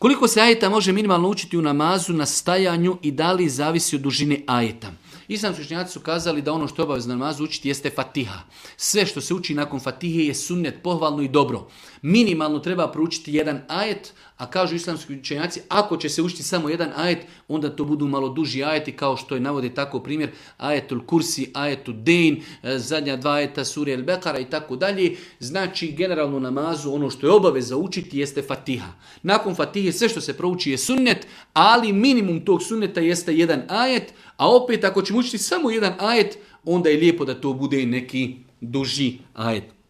Koliko se ajeta može minimalno učiti u namazu na stajanju i da li zavisi od dužine ajeta? Islamski učenjaci su kazali da ono što je obavezno namazu učiti jeste Fatiha. Sve što se uči nakon Fatihe je sunnet, pohvalno i dobro. Minimalno treba proučiti jedan ajet, a kažu islamski učenjaci, ako će se učiti samo jedan ajet, onda to budu malo duži ajeti, kao što je navode tako primjer ajetul kursi, ajetul dejn, zadnja dva ajeta sure El Bekara i tako dalje. Znači, generalno namazu ono što je obaveza učiti jeste Fatiha. Nakon Fatihe sve što se prouči je sunnet, ali minimum tog sunneta jeste jedan ajet, a opet ako ćemo učiti samo jedan ajet, onda je lijepo da to bude neki duži ajet.